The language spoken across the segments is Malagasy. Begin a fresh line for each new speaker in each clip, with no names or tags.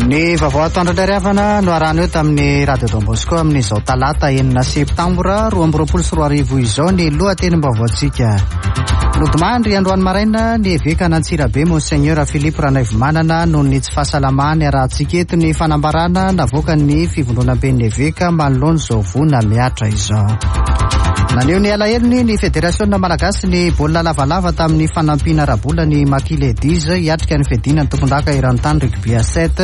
Ny vaovao atoandro indray ry havana no arahana eo tamin'ny Radio Don Bosco amin'izao talata enina septambra 2022 izao ny lohatenim-baovaontsika. Nodimandry androany maraina ny evekan'Antsirabe Monseigneur Philippe Ranaivomanana noho ny tsy fahasalamany arahantsika eto ny fanambarana navoakan'ny fivondronamben'ny eveka manoloana izao voina mihatra izao. Naneho ny alahelony ny Federasiona Malagasy ny baolina lavalava tamin'ny fanampiana ara-bola ny Maki Ladies hiatrika ny fiadiana ny tompondaka eran-tany rugby à sept.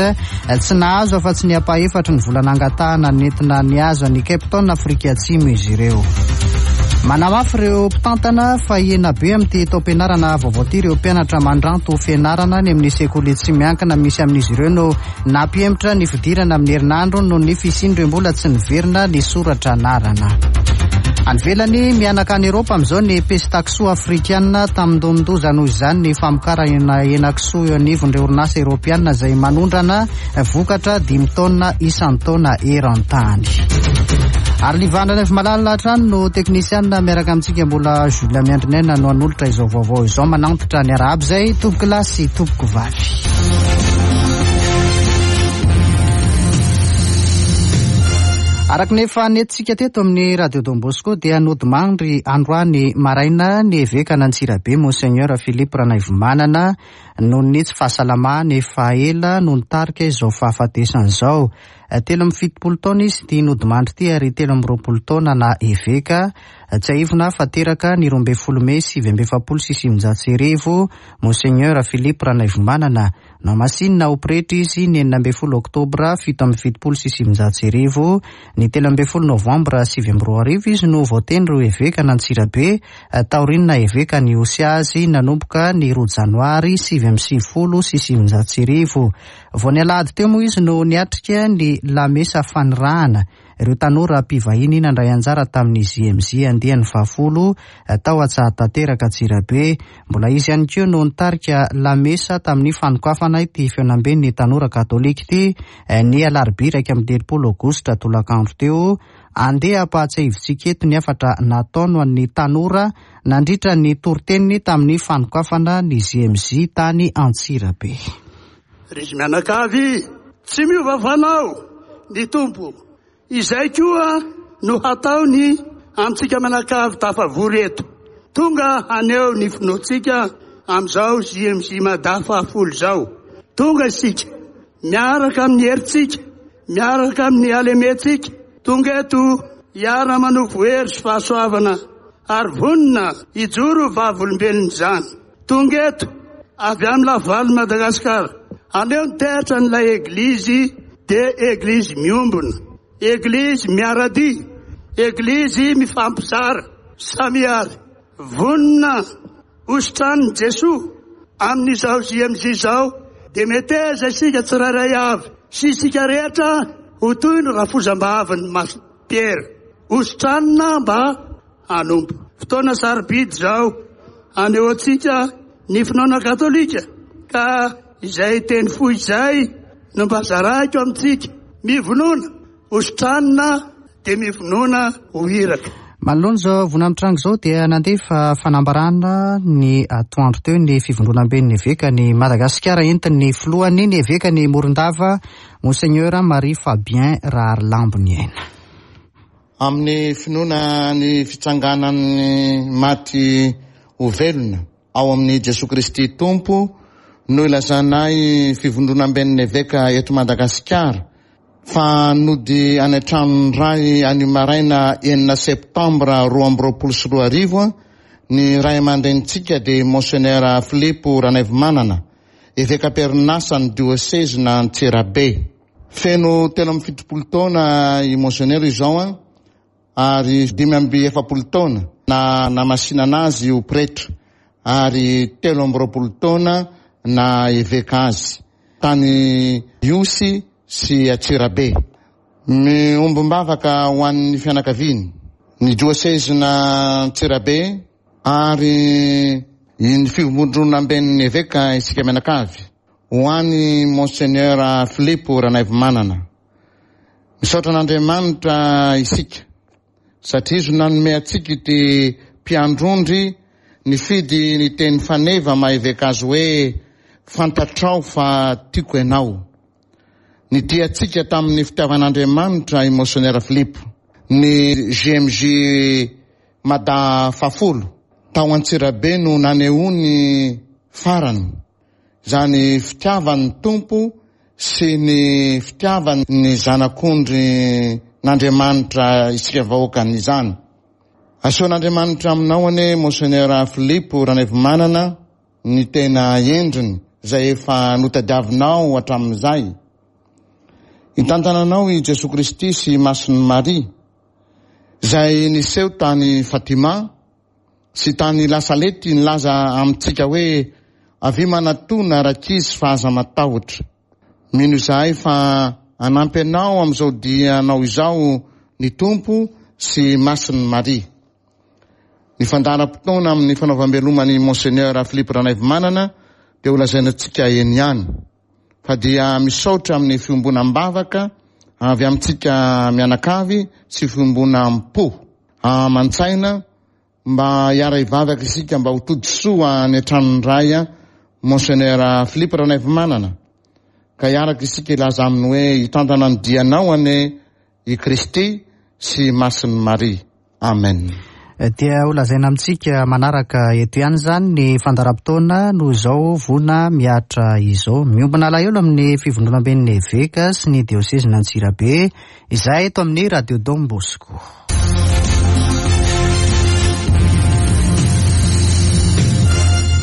Tsy nahazo afa-tsy ny ampahefatry ny vola nangatahana nentina nihazo an'i Cape Town Afrika Atsimo izy ireo. Manamafy ireo mpitantana fa hihena be amin'ity taom-pianarana vaovao ity ireo mpianatra mandranto fianarana any amin'ny sekoly tsy miankina misy amin'izy ireo no nampihemotra ny fidirana amin'ny herinandro noho ny fisian'ireo mbola tsy niverina nisoratra anarana. Any ivelany, mihanaka any Eropa amin'izao ny pesta-kisoa afrikana, tamindomin-doza noho izany ny famokarana henakisoa eo anivon'ireo orinasa eropeana izay manondrana vokatra dimy taonina isan-taona eran-tany. Ary Livana Raivomalala hatrany no teknisianina miaraka amintsika mbola Jules Miandrinaina no hanolotra izao vaovao izao manantitra ny arahaba izay tompoko lahy sy tompoko vavy. Araka ny efa nentintsika teto amin'ny Radio Don Bosco dia nodimandry androany maraina ny evekan'Antsirabe Monseigneur Philippe Ranaivomanana noho ny tsy fahasalamany efa ela no nitarika izao fahafatesany izao. 73 taona izy ity nodimandry ity ary 23 taona na eveka. Tsiahivina fa teraka ny 12 mey 1949 Monseigneur Philippe Ranaivomanana. Nohamasinina ho pretra izy ny 16 oktobra 1977. Ny 13 novambra 2009 izy no voatendry ho evekan'Antsirabe taorian'ny naha eveka ny Ihosy azy nanomboka ny 2 janoary 1999. Vao ny alahady teo moa izy no niatrika ny lamesa fanirahana ireo tanora mpivahiny nandray anjara tamin'ny JMJ andiany fahafolo tao Antsahatanteraka Antsirabe. Mbola izy ihany koa no nitarika lamesa tamin'ny fanokafana ity fihaonamben'ny tanora katolika ity ny alarobia 31 aogositra tolakandro teo. Andeha hampahatsiahivintsika eto ny hafatra nataony ho an'ny tanora nandritra ny toriteniny tamin'ny fanokafana ny JMJ tany Antsirabe.
Ry izy mianakavy, tsy miova fanao ny Tompo. Izay koa no hataony amintsika mianakavy tafavory eto. Tonga haneho ny finoantsika amin'izao JMJ Mada fahafolo izao. Tonga isika, miaraka amin'ny herintsika, miaraka amin'ny halementsika, tonga eto hiara-manovo hery sy fahasoavana ary vonona hijoro ho vavolombelon'izany. Tonga eto avy amin'ny Lavalon'i Madagasikara. Aleo ny teatra an'ilay Eglizy dia Eglizy miombona, Eglizy miara-dia, Eglizy mifampizara. Samia ary vonona hositranin'i Jesoa amin'izao JMJ izao dia meteza isika tsirairay avy sy isika rehetra ho toy ny rafozam-bavin'i Masina Piera. Hositranina mba hanompo. Fotoana sarobidy izao hanehoantsika ny finoana katolika ka izay teny fohy izay no mba zarahiko amintsika. Mivonona ho sitranina dia mivonona ho iraka.
Manoloana izao voina mitranga izao dia nandefa fanambarana ny atoandro teo ny fivondronamben'ny evekan'i Madagasikara entin'ny filohany ny evekan'i Morondava Monseigneur Marie Fabien Raharilamboniaina.
Amin'ny finoana ny fitsanganan'ny maty ho velona ao amin'i Jesoa Kristy Tompo no ilazanay Fivondronamben'ny Eveka eto Madagasikara fa nody any an-tranon'ny Ray anio maraina enina septambra 2022 ny ray aman-drenintsika dia Monseigneur Filipo Ranaivomanana, Eveka am-perinasa ny Diosezin'Antsirabe. Feno 73 taona i Monseigneur izao an, ary 45 taona nanamasinana azy ho pretra, ary 23 taona naha eveka azy tany Ihosy sy Antsirabe. Miombom-bavaka ho an'ny fianakaviany, ny diosezin'Antsirabe ary ny fivondronamben'ny eveka isika mianakavy. Ho an'i Monseigneur Filipo Ranaivomanana. Misaotra an'Andriamanitra isika satria Izy no nanome antsika ity mpiandrondry nifidy ny teny faneva maha eveka azy hoe fantatrao fa tiako ianao. Nitia antsika tamin'ny fitiavan'Andriamanitra i Monseigneur Philippe. Ny JMJ Mada fahafolo tao Antsirabe no nanehoany farany izany fitiavan'ny Tompo sy ny fitiavan'ny Zanak'ondrin'Andriamanitra isika vahoakany izany. Asehon'Andriamanitra aminao anie Monseigneur Philippe Ranaivomanana ny tena endriny izay efa notadiavinao hatramin'izay. Hitantana anao i Jesoa Kristy sy Masin'i Maria, izay niseho tany Fatima sy tany La Salette nilaza amintsika hoe avia manatona rankizy fa aza matahotra. Mino izahay fa hanampy anao amin'izao dianao izao ny Tompo sy Masin'i Maria. Ny fandaharam-potoana amin'ny fanaovam-beloma an'i Monseigneur Philippe Ranaivomanana dia ho lazaina antsika eny ihany. Fa dia misaotra amin'ny fiombonam-bavaka avy amintsika mianakavy sy fiombonam-po aman-tsaina mba hiara-hivavaka isika mba ho tody soa any an-tranon'ny Ray Monseigneur Philippe Ranaivomanana ka hiaraka isika hilaza aminy hoe hitantana ny dianao anie i Kristy sy Masin'i Maria. Amen.
Dia ho lazaina amintsika manaraka eto ihany izany ny fandaharam-potoana noho izao voina mihatra izao. Miombona alahelo amin'ny fivondronamben'ny Eveka sy ny diosezin'Antsirabe izahay eto amin'ny Radio Don Bosco.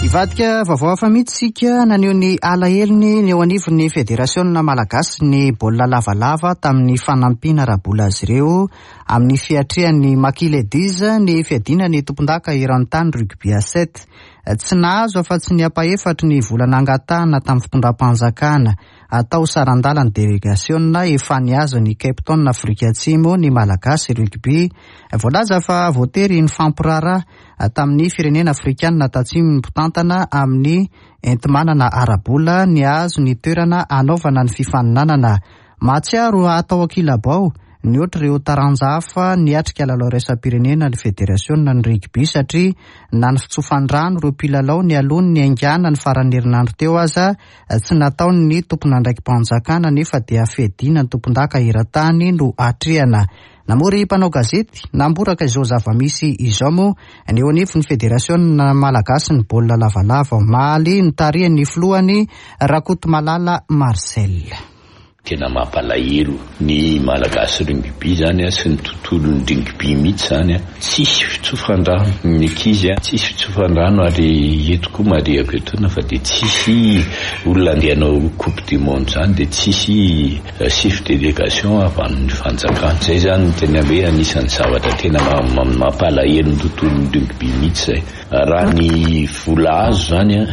Hivadika vaovao hafa mihitsy isika, naneho ny alahelony ny eo anivon'ny Federasiona Malagasy ny baolina lavalava tamin'ny fanampiana ara-bola azy ireo amin'ny fiatrehan'ny Maki Ladies ny fiadiana ny tompondaka eran-tany rugby à sept. Tsy nahazo afa-tsy ny ampahefatry ny vola nangatahana tamin'ny fitondram-panjakana atao saran-dalan'ny delegasiona efa nihazo an'i Cape Town Afrika Atsimo ny Malagasy rugby. Voalaza fa voatery nifampiraharaha tamin'ny firenena afrikanina tatsimo ny mpitantana amin'ny enti-manana ara-bola nihazo ny toerana hanaovana ny fifaninanana. Mahatsiaro hatao ankilabao nihoatra ireo taranja hafa niatrika lalao iraisam-pirenena ny federasiona ny rugby satria na ny fitsofan-drano ireo mpilalao nialoha ny niaingàna ny faran'ny herinandro teo aza tsy nataon'ny tompon'andraiki-panjakana nefa dia fiadiana ny tompondaka eran-tany no atrehana. Namory mpanao gazety namboraka izao zava-misy izao moa ny eo anivon'ny federasiona malagasy ny baolina lavalava omaly notarihan'ny filohany Rakotomalala Marcel.
Tena mampalahelo ny Malagasy rugby zany sy ny tontolon'ny rugby mihitsy zany, tsisy fitsofan-drano ny ankizy, tsisy fitsofan-drano ary eto koa marihako etoana fa dia tsisy olona andeha hanao coupe du monde zany dia tsisy chef délégation avy amin'ny fanjakana. Zay zany no tena hoe anisan'ny zavatra tena mampalahelo ny tontolon'ny rugby mihitsy zay. Raha ny vola azo zany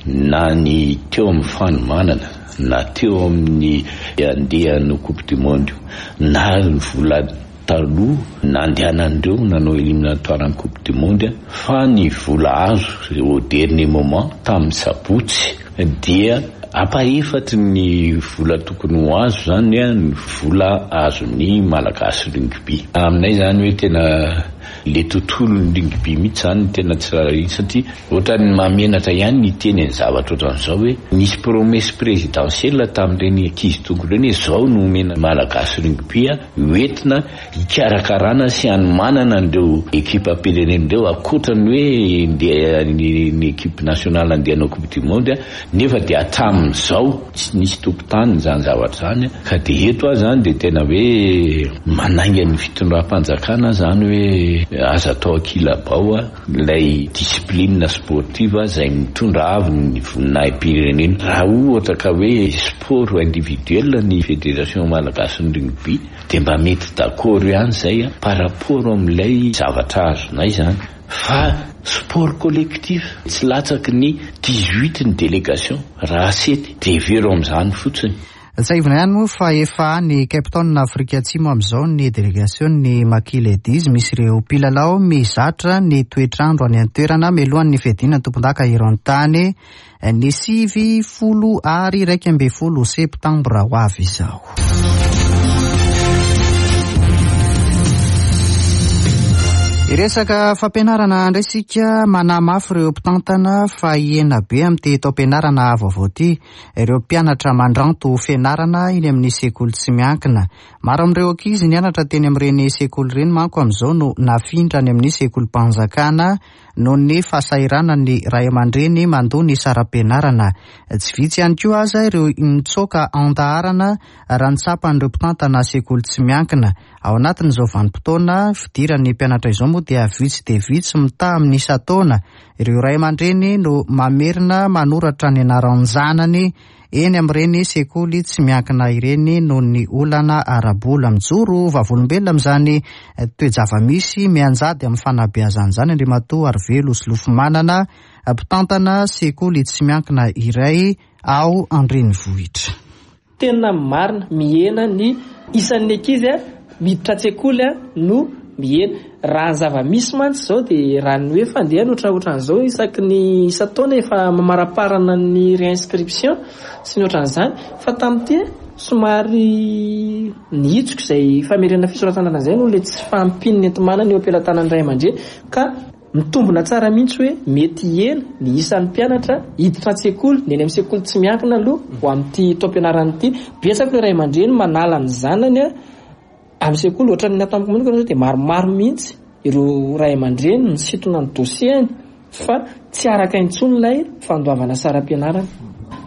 na ny teo amin'ny fanomanana na teo amin'ny andeha hanao coupe du monde io na ny vola taloha nandehanan'ireo nanao éliminatoire ny coupe du monde fa ny vola azo au dernier moment tamin'ny sabotsy dia ampahefatry ny vola tokony ho azo zany ny vola azon'ny Malagasy rugby. Aminay zany hoe tena le tontolon'ny rugby mihitsy zany no tena tsy rarahina satria ohatran'ny mahamenatra ihany ny hiteny ny zavatra ohatran'izao hoe nisy promesse présidentielle tamin'ireny ankizy tonga ireny hoe zao no omena Malagasy rugby hoentina hikarakarana sy hanomanana an'ireo ekipam-pirenena ireo ankoatra ny hoe ndeha ny ekipe nationale andeha hanao coupe du monde nefa dia hatramin'izao tsy nisy tompon-tany izany zavatra izany ka dia eto aho izany dia tena hoe manainga ny fitondram-panjakana izany hoe aza atao ankilabao ilay discipline sportive izay mitondra avo ny voninahi-pirenena. Raha ohatra ka hoe sport individuel ny federation malagasin'ny rugby dia mba mety d'accord ihany izay par rapport amin'ilay zavatra azonay izany fa sport collectif tsy latsaky ny 18 ny délégation raha sept dia hevero amin'izany fotsiny.
Tsiahivina ihany moa fa efa any Cape Town Afrika Atsimo amin'izao ny delegasion'ny Maki Ladies misy ireo mpilalao mizatra ny toetr'andro any an-toerana mialohan'ny fiadiana ny tompondaka eran-tany ny 9 ary 11 septambra ho avy izao. Hiresaka fampianarana indray isika, manahy mafy ireo mpitantana fa hihena be amin'ity taom-pianarana vaovao ity ireo mpianatra mandranto fianarana eny amin'ny sekoly tsy miankina. Maro amin'ireo ankizy nianatra teny amin'ireny sekoly ireny manko amin'izao no nafindra any amin'ny sekolim-panjakana noho ny fahasahiranan'ny ray aman-dreny mandoa ny saram-pianarana. Tsy vitsy ihany koa aza ireo nitsoaka an-daharana raha ny tsapan'ireo mpitantana sekoly tsy miankina. Ao anatin'izao vanim-potoana fidiran'ny mpianatra izao moa dia vitsy dia vitsy mitaha amin'ny isan-taona ireo ray aman-dreny no mamerina manoratra ny anaran-janany eny amin'ireny sekoly tsy miankina ireny noho ny olana ara-bola. Mijoro vavolombelona amin'izany toe-java-misy mianjady amin'ny fanabeazana izany Andriamatoa Arivelo Solofomanana, mpitantana sekoly tsy miankina iray ao an-drenivohitra.
Tena marina, mihena ny isan'ny ankizy miditra an-tsekoly no mihena. Raha ny zava-misy mantsy izao dia raha ny hoe fandehany ohatraohatran'izao isaky ny isan-taona efa mamaraparana ny réinscription sy ny ohatran'izany fa tamin'ity somary nihitsoka izay famerenana fisoratana anarana izay noho ilay tsy fahampian'ny enti-manana eo am-pelatanan'ny ray aman-dreny ka Mitombina tsara mihitsy hoe mety hihena ny isan'ny mpianatra hiditra an-tsekoly, ny eny amin'ny sekoly tsy miankina aloha ho amin'ity taom-pianarana ity. Betsaka ireo ray aman-dreny manala ny zanany amin'ny sekoly, ohatran'ny ny ato amiko manokana izao dia maromaro mihitsy ireo ray aman-dreny misintona ny dossier-ny fa tsy araka intsony ilay fandoavana saram-pianarana.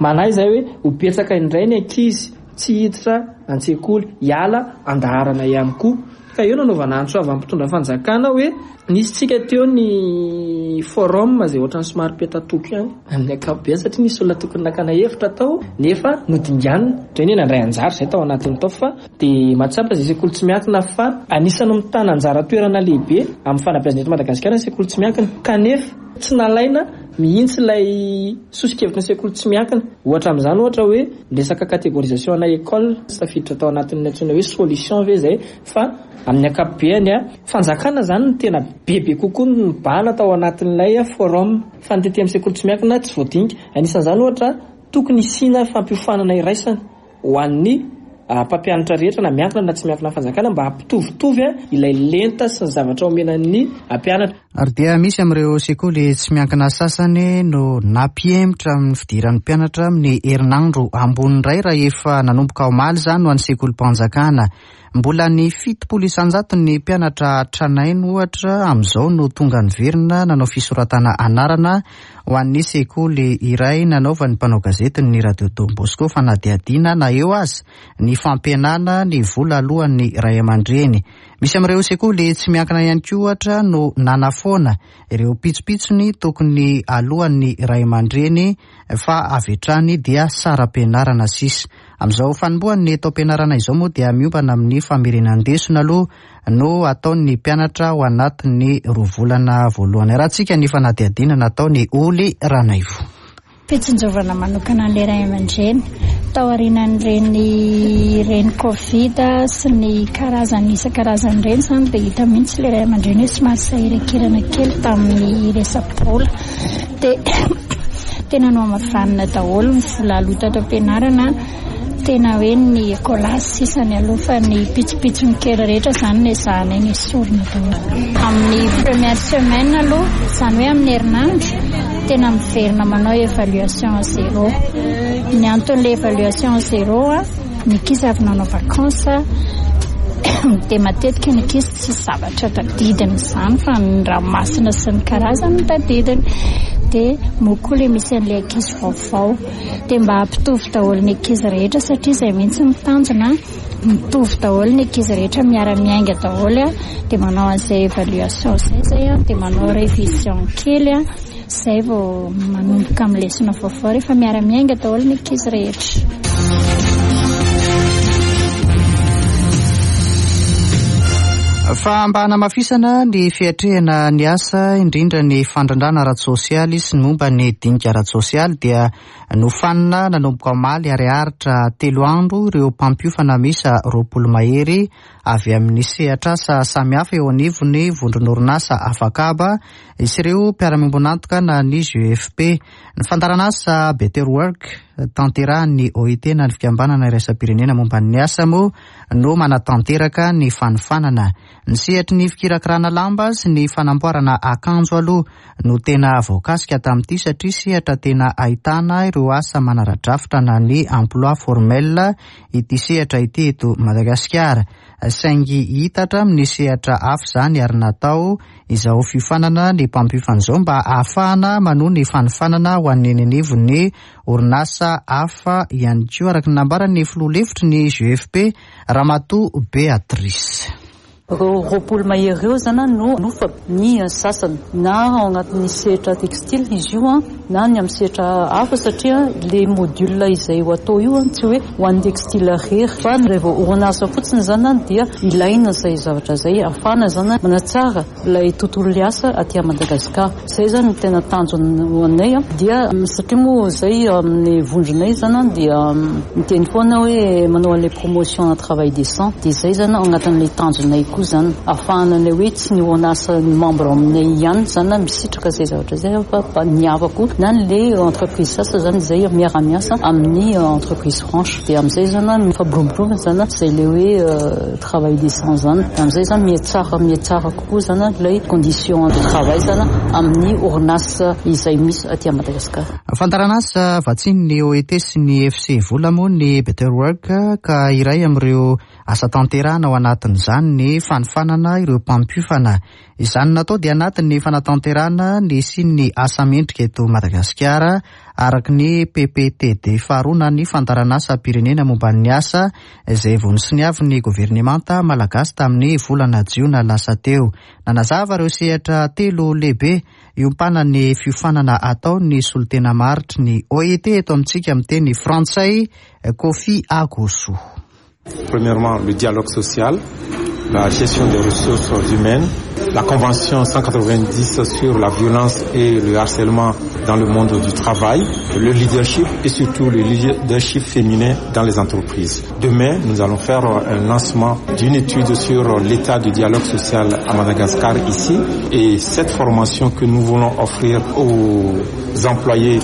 Manahy izahay hoe ho betsaka indray ny ankizy tsy hiditra an-tsekoly, hiala an-daharana ihany koa. Ka eo nanaovana antso avo amin'ny mpitondra fanjakana hoe nisy tsika teo ny forum izay ohatran'ny somary petatoko ihany amin'ny ankapobeny satria nisy olona tokony nakana hevitra tao nefa nodinganina. Indray anie nandray anjara izay tao anatin'ny tao fa dia mahatsapa izay sekoly tsy miankina fa anisan'ny mitana anjara toerana lehibe amin'ny fanabeazana eto Madagasikara ny sekoly tsy miankina kanefa tsy nalaina mihitsy ilay soso-kevitry ny sekoly tsy miankina. Ohatra amin'izany ohatra hoe ny resaka catégorisation ana école tsy tafiditra tao anatin'ny antsoina hoe solution ve izay fa amin'ny ankapobeany fanjakana izany no tena bebe kokoa no nibahana tao anatin'ilay forum fa ny tety amin'ny sekoly tsy miankina tsy voadinika. Anisan'izany ohatra tokony hisiana fampiofanana iraisana. ho an'ny mpampianatra rehetra na miankina na tsy miankina amin'ny fanjakana mba hampitovitovy ilay lenta sy ny zavatra omena ny mpianatra.
Ary dia misy amin'ireo sekoly tsy miankina sasany no nampihemotra amin'ny fidiran'ny mpianatra amin'ny herinandro ambony indray raha efa nanomboka omaly izany ho an'ny sekolim-panjakana. Mbola ny 70 isan-jaton'ny mpianatra tranainy ohatra amin'izao no tonga niverina nanao fisoratana anarana ho an'ny sekoly iray nanaovan'ny mpanao gazetin'ny Radio Don Bosco fanadihadiana na eo aza ny fampihenana ny vola aloan'ny ray aman-dreny. Misy amin'ireo sekoly tsy miankina ihany koa ohatra no nanafoana ireo pitsopitsony tokony aloan'ny ray aman-dreny fa avy hatrany dia saram-pianarana sisa. Amin'izao fanombohan'ny taom-pianarana izao moa dia miompana amin'ny famerenan-desona aloha no ataon'ny mpianatra ao anatin'ny roa volana voalohany. Arahantsika ny fanadihadiana nataon'i Oly Ranaivo.
Fitsinjovana manokana an'ilay ray aman-dreny taorianan'ireny ireny Covid sy ny karazany isan-karazany ireny izany dia hita mihitsy ilay ray aman-dreny hoe somary sahirankirana kely tamin'ny resa-bola. Dia tena nohamavanina daholo ny vola aloa tato am-pianarana. Tena hoe ny écolage sisa ny aloha fa ny pitsopitsony kely rehetra izany nezahanay nesorina daholo. Amin'ny première semaine aloha, izany hoe amin'ny herinandro, tena miverina manao évaluation à zéro. Ny anton'ilay évaluation à zéro, ny ankizy avy nanao vacances dia matetika ny ankizy tsisy zavatra tadidiny izany fa ny ranomasina sy ny karazany no tadidiny. Dia moa koa ilay misy an'ilay ankizy vaovao. Dia mba hampitovy daholo ny ankizy rehetra satria izay mihitsy ny tanjona, mitovy daholo ny ankizy rehetra, miara-miainga daholo dia manao an'izay évaluation izay izay dia manao révision kely izay vao manomboka amin'ny lesona vaovao rehefa miara-miainga daholo ny ankizy rehetra.
Fa mba hanamafisana ny fiatrehana ny asa, indrindra ny fandrindrana ara-tsosialy sy ny momba ny dinika ara-tsosialy dia nofanina nanomboka omaly ary haharitra telo andro ireo mpampiofana miisa 20 mahery avy amin'ny sehatr'asa samihafa eo anivon'ny vondron'orinasa afakaba sy ireo mpiara-miombon'antoka na ny GFP. Ny fandaharanasa Better Work. tanterahin'ny OIT na ny Fikambanana Iraisam-pirenena momba ny asa moa no manatanteraka ny fanofanana. Ny sehatry ny fikirakirana lamba sy ny fanamboarana akanjo aloha no tena voakasika tamin'ity satria sehatra tena ahitana ireo asa manara-drafitra na ny emploi formel ity sehatra ity eto Madagasikara. Saingy hiitatra amin'ny sehatra hafa izany ary natao izao fiofanana ny mpampiofana izao mba hahafahana manohy ny fanofanana ho an'ny eny anivon'ny orinasa hafa ihany koa, araka ny nambaran'ny filoha lefitry ny GFP, Ramatoa Béatrice.
Ireo 20 mahery ireo izany no nofa ny sasany na ao anatin'ny sehatra textile izy io na ny amin'ny sehatra hafa satria ilay module izay ho atao io tsy hoe ho an'ny textile irery fa raha vao orinasa fotsiny izany dia ilaina izay zavatra izay ahafahana izany manatsara ilay tontolon'ny asa aty Madagasikara. Izay izany no tena tanjona ho anay dia satria moa izay amin'ny vondronay izany dia miteny foana hoe manao an'ilay promotion na travail décent dia izay izany ao anatin'ilay tanjonay koa izany ahafahana an'ilay hoe tsy ny orinasa ny membre aminay ihany izany misitraka izay zavatra izay fa ny hafa koa na ilay entreprise sasany izany izay miara-miasa amin'ny entreprise franche dia amin'izay izany mifampiroborobo izany izay ilay hoe travail décent izany amin'izay izany mihatsara mihatsara kokoa izany ilay condition de travail izany amin'ny orinasa izay misy aty Madagasikara.
Fandaharanasa vatsian'ny OET sy ny FC Vola moa ny Better Work ka iray amin'ireo asa tanterahana ao anatin'izany ny fanofanana ireo mpampiofana. Izany natao dia anatin'ny fanatanterahana ny hisian'ny asa mendrika eto Madagasikara araka ny PPTD faharoa na ny fandaharanasam-pirenena momba ny asa izay vao nosoniavin'ny governemanta malagasy tamin'ny volana jiona lasa teo. Nanazava ireo sehatra telo lehibe iompanan'ny fiofanana atao ny solontena maharitry ny OIT eto amintsika amin'ny teny frantsay, Koffi Agossou.
Premièrement, le dialogue social, la gestion des ressources humaines, la Convention 190 sur la violence et le harcèlement dans le monde du travail, le leadership et surtout le leadership féminin dans les entreprises. Demain, nous allons faire un lancement d'une étude sur l'état du dialogue social à Madagascar ici et cette formation que nous voulons offrir aux employés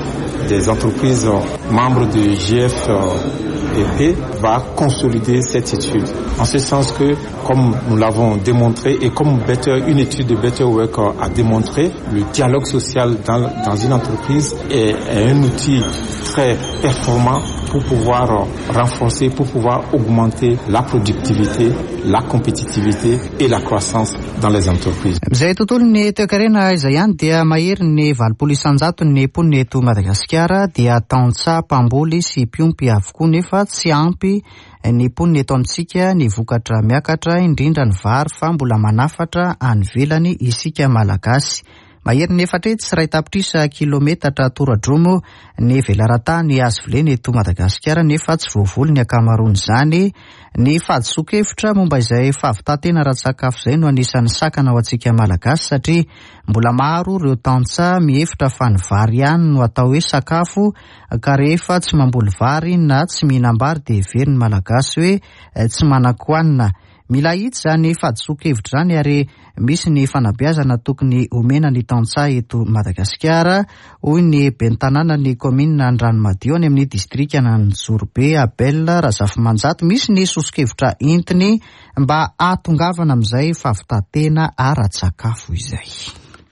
des entreprises membres du GFEP va consolider cette étude. En ce sens que, comme nous l'avons démontré et comme Better, une étude de Better Work a démontré, le dialogue social dans, dans une entreprise est, est un outil très performant pour pouvoir renforcer, pour pouvoir augmenter la productivité, la compétitivité et la croissance dans les entreprises.
Izay tontolon'ny toekarena izay ihany dia mahery ny 80 isan-jaton'ny mponina eto Madagasikara dia tantsaha mpamboly sy mpiompy avokoa nefa tsy ampy ny mponina eto amintsika ny vokatra miakatra indrindra ny vary fa mbola manafatra any ivelany isika Malagasy. Mahery ny 401 tapitrisa kilometatra toradromo ny velaran-tany azo volena eto Madagasikara nefa tsy voavoly ny ankamaroan'izany. Ny fahadisoan-kevitra momba izay fahavitan-tena ara-tsakafo izay no anisan'ny sakana ho antsika Malagasy satria mbola maro ireo tantsaha mihevitra fa ny vary ihany no atao hoe sakafo ka rehefa tsy mamboly vary na tsy mihinam-bary dia heverin'ny Malagasy hoe tsy manan-kohanina. Mila ahitsy izany fahadisoan-kevitra izany ary misy ny fanabeazana tokony omena ny tantsaha eto Madagasikara, hoy ny ben'ny tanànan'ny kaominina Andranomadio any amin'ny distrikan'Anjozorobe, Abel Razafimanjato. Misy ny soso-kevitra entiny mba hahatongavana amin'izay fahavitan-tena ara-tsakafo izay.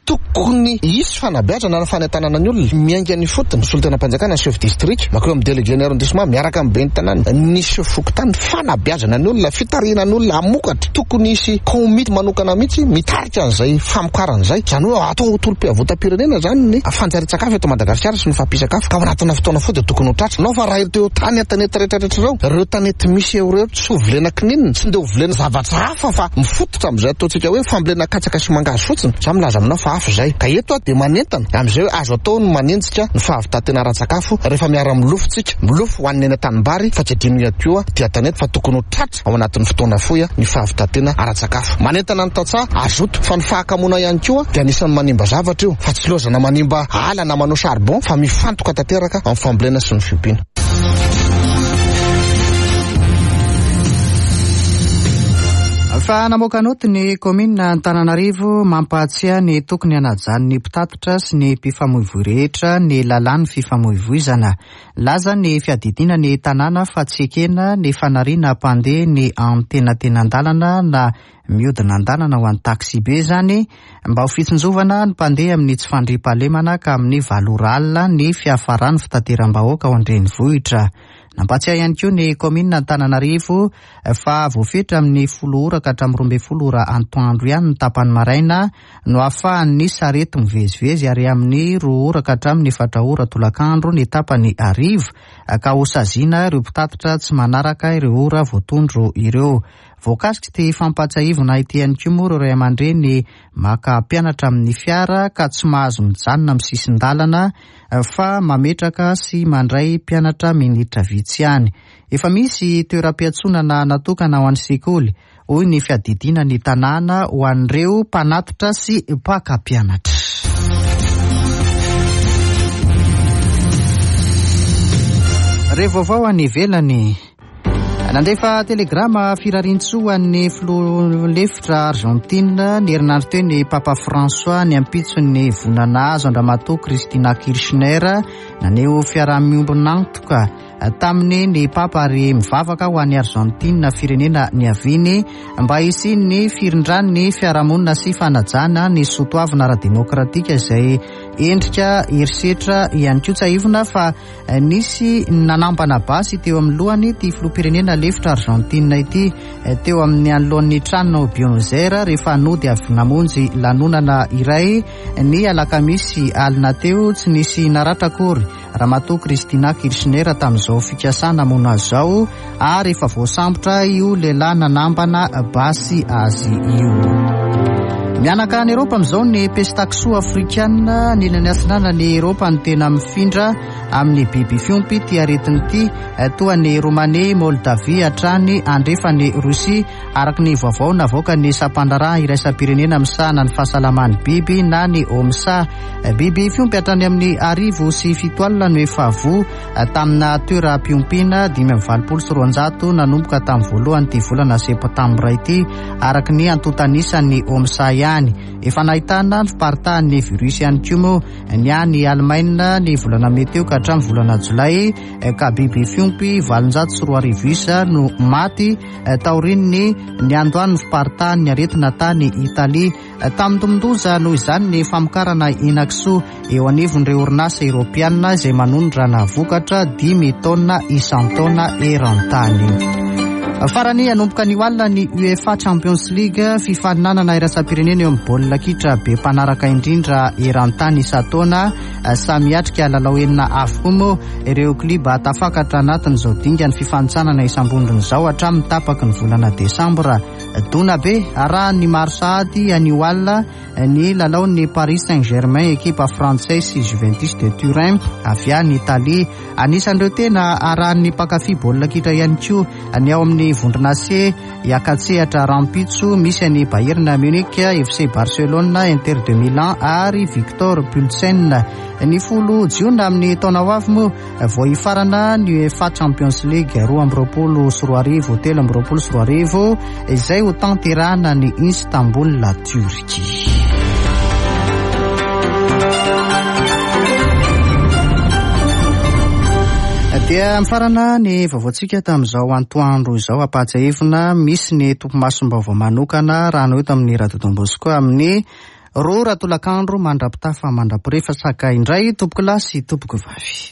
Tokony hisy fanabeazana na fanentanana ny olona miainga any ifotony, solontenam-panjakana, ny chef district, mankeo amin'ny délégué ny arrondissement miaraka amin'ny ben'ny tanàna, ny chef fokontany, fanabeazana ny olona, fitarihana ny olona hamokatra. Tokony hisy komity manokana mihitsy mitarika an'izay famokarana izay. Izany hoe atao ho tolom-piavotam-pirenena izany ny fanjarian-tsakafo eto Madagasikara sy ny fampian-tsakafo ka ao anatina fotoana fohy dia tokony ho tratra. Nao fa raha ireo tany an-tanety rehetrarehetra ireo, ireo tanety misy eo ireo tsy ho volena kininina, tsy ndeha ho volena zavatra hafa fa mifototra amin'izay ataontsika hoe fambolena katsaka sy mangahazo fotsiny. Za milaza aminao fa hafa izay. Ka eto aho dia manentana amin'izay hoe azo atao ny manenjika ny fahavitan-tena ara-tsakafo rehefa miara-milofo tsika. Milofo ho an'ny eny an-tanimbary fa tsy adino ihany koa aty an-tanety fa tokony ho tratra ao anatin'ny fotoana fohy ny fahavitan-tena ara-tsakafo. Manentana ny tantsaha hazoto fa ny fahakamoana ihany koa dia anisan'ny manimba zavatra io fa tsy lozana manimba ala na manao charbon fa mifantoka tanteraka amin'ny fambolena sy ny fiompiana.
Efa namoaka naoty ny kaominina Antananarivo mampahatsiahy ny tokony hanajan'ny mpitatitra sy ny mpifamoivoy rehetra ny lalàn'ny fifamoivoizana. Nilaza ny fiadidiana ny tanàna fa tsy ekena ny fanariana mpandeha ny antenatenan-dalana na mihodina an-dalana ho an'ny taxibe izany mba ho fitsinjovana ny mpandeha amin'ny tsy fandriampahalemana ka amin'ny valo ora alina ny fiafaran'ny fitateram-bahoaka ao an-drenivohitra. Nampahatsiahy ihany koa ny kaominina Antananarivo fa voafetra amin'ny folo ora ka hatramin'ny 12 ora antoandro ihany ny tapany maraina no ahafahan'ny sarety mivezivezy ary amin'ny roa ora ka hatramin'ny efatra ora tolakandro ny tapany hariva ka hosaziana ireo mpitatitra tsy manaraka ireo ora voatondro ireo. Voakasik'ity fampahatsiahivana ity ihany koa moa ireo ray aman-dreny maka mpianatra amin'ny fiara ka tsy mahazo mijanona amin'ny sisin-dalana fa mametraka sy mandray mpianatra minitra vitsy ihany. Efa misy toeram-piantsonana natokana ho an'ny sekoly, hoy ny fiadidiana ny tanàna ho an'ireo mpanatitra sy mpaka mpianatra. Re vaovao any ivelany. Nandefa telegrama firariantsoa ho an'ny filoha lefitra Argentine ny herinandro teo ny Papa François ny ampitson'ny voina nahazo an-dRamatoa Cristina Kirchner. Naneho fiaraha-miombon'antoka taminy ny Papa ary mivavaka ho an'i Argentine firenena niaviany mba hisian'ny firindran'ny fiarahamonina sy fanajana ny soatoavina ara-demokratika izay endrika herisetra ihany koa. Tsiahivina fa Nisy nanambana basy teo amin'ny lohany ity filoham-pirenena lefitra Argentine ity teo amin'ny anoloan'ny tranony ao Buenos Aires rehefa nody avy namonjy lanonana iray ny alakamisy alina teo. Tsy nisy naratra akory Ramatoa Cristina Kirchner tamin'izao fikasana hamono azy izao ary efa voasambotra io lehilahy nanambana basy azy io. Mihanaka any Eropa amin'izao ny pesta kisoa afrikana. Ny ilany atsinanan'i Eropa no tena mifindra amin'ny biby fiompy ity aretina ity, toa an'i Romania, Moldavia hatrany andrefan'i Rosia, araka ny vaovao navoakan'ny sampandraharaha iraisam-pirenena misahana ny fahasalaman'ny biby na ny OMSA. Biby fiompy hatrany amin'ny 1700 no efa voa tamina toeram-piompiana 285 nanomboka tamin'ny voalohan'ity volana septambra ity, araka ny antontan'isan'ny OMSA ihany. Efa nahitana ny fiparitahan'ny virus ihany koa moa ny any Alemaina ny volana mey teo ka hatramin'ny volana jolay, ka biby fiompy 2008 isa no maty taorian'ny niandohan'ny fiparitahan'ny aretina tany Italia. Tamindomin-doza noho izany ny famokarana henakisoa eo anivon'ireo orinasa Eoropeana izay manondrana vokatra dimy taonina isan-taona eran-tany. Farany, hanomboka anio alina ny UEFA Champions League, fifaninanana iraisam-pirenena eo amin'ny baolina kitra be mpanaraka indrindra eran-tany isan-taona. Samy hiatrika lalao enina avokoa moa ireo klioba tafakatra anatin'izao dingan'ny fifanintsanana isam-bondrona izao hatramin'ny tapaky ny volana desambra. Dona be arahan'ny maro sahady anio alina ny lalaon'ny Paris Saint-Germain, ekipa frantsay sy Juventus de Turin avy any Italie. Anisan'ireo tena arahan'ny mpankafy baolina kitra ihany koa ny ao amin'ny vondrona C hiaka-tsehatra rahampitso, misy an'i Bayern Munich, FC Barcelone, Inter de Milan ary Victor Pulsen. Ny 10 jiona amin'ny taona ho avy moa Vao hifarana ny UEFA Champions League 2022 2023 izay ho tanterahana any Istanbul, Turquie. Dia mifarana ny vaovaontsika tamin'izao antoandro izao. Ampahatsiahivina misy ny topimasom-baovao manokana raha no eto amin'ny Radio Don Bosco amin'ny roa ora tolakandro mandra-pitafa mandra-pirefasaka indray tompokolahy sy tompokovavy.